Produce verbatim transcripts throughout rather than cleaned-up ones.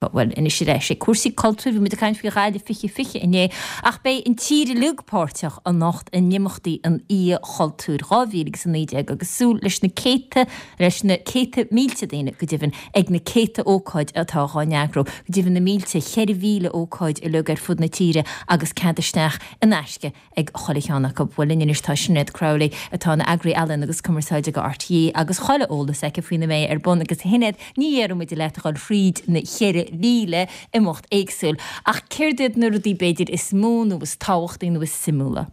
Bhuel anois ar ais ag cúrsaí cultúir bhí muid ag caint faoi Ghaillimh fiche fiche inné ach beidh an tír uilig páirteach anocht in imeachtaí an Oíche Chultúir dhá mhíle agus a naoi déag agus súil leis na céadta leis na céadta mílte daoine go deimhin ag na céadta ócáid atá á n-eagrú go deimhin na mílte cheithre mhíle ócáid uilig ar fud na tíre agus cead isteach in aisce ag chuile cheann acu. Bhuel linn anois tá Sinéad Crowley atá ina eagraí ealaíon agus cumarsáide do RTÉ agus chuile eolas aici faoina mbeidh ar bun agus a Shinéad ní dhéarfaidh muid leat a dhul thríd na ceithre mhíle imeacht éagsúil ach céard iad na rudaí b'fhéidir is mó nó is tábhachtaí nó is suimiúla?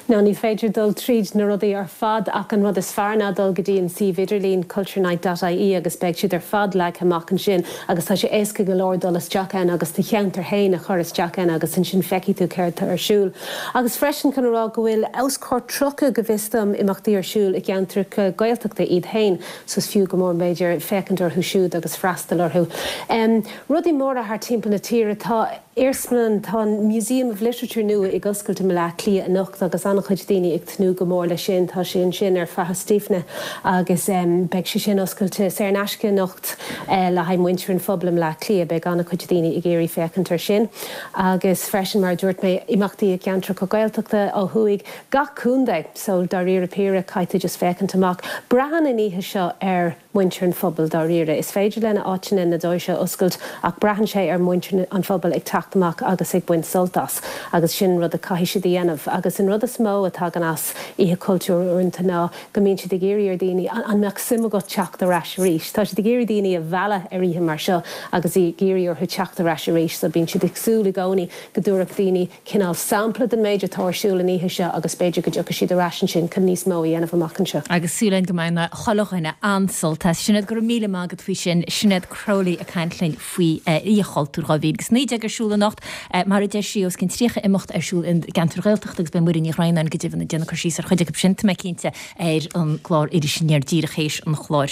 Ná ní féidir dul tríd na rudaí ar fad ach an rud is fearr ná dul go dtí an suíomh idirlín culturenight.ie agus beidh siad ar fad leagtha amach ansin agus tá sé éasca go leor dul isteach ann agus do cheantar féin a chur isteach ann agus ansin feicfidh tú céard atá ar siúl. Agus freisin chun a rá go bhfuil os cionn tríocha go bhfios dom imeachtaí ar siúl i gceantracha Gaeltachta iad féin, so is fiú go mór b'fhéidir féachaint orthu siúd agus freastal orthu. Um, rudaí móra thar timpeall na tíre tá Iarsmalann tá Museum of Literature nua ag oscailt i mBaile Átha Cliath anocht agus an-chuid daoine ag tnúth go mór leis sin tá sé ansin ar Faiche Stífne agus um, beidh sé sin oscailte saor in aisce anocht uh, le haghaidh muintir an phobail i mBaile Átha Cliath beidh an-chuid daoine ag iarraidh féachaint ar sin. agus freisin mar dúirt mé imeachtaí i gceantracha Gaeltachta ó thuaidh gach contae so dáiríre píre caithfidh just féachaint amach. Braitheann an oíche seo ar muintir an phobail dáiríre. Is féidir lena áiteanna na doirse oscailt ach braitheann sé ar muintir an phobail ag teacht amach agus ag baint sult as agus sin rud a caithfidh siad a dhéanamh agus an rud is mó a tagann as oíche cultúr uaireanta ná go mbíonn siad ag iarraidh ar daoine an mbeadh suim agat teacht ar ais arís. Tá siad ag iarraidh daoine a mhealladh ar oíche mar seo agus ag iarraidh orthu teacht ar ais arís, so bíonn siad ag súil i gcónaí go dtabharfadh daoine cineál sampla den méid atá ar siúl an oíche seo agus b'fhéidir go dtiocfaidh siad ar ais ansin chun níos mó a dhéanamh amach anseo. Agus súil go mbeidh chuile dhuine an-sult as. Sinéad go raibh míle maith agat faoi sin Sinéad Crowley ag caint linn faoi Oíche Chultúir dhá mhíle agus naoi déag ar siúl anocht mar a deir sí os cionn tríocha imeacht ar siúl i gceantar Ghaeltacht agus beidh Muireann Ní Dhroighneáin go deimhin ag déanamh cur síos ar chuid acu sin tá mé cinnte ar an gclár Iris Aniar díreach théis an chláir.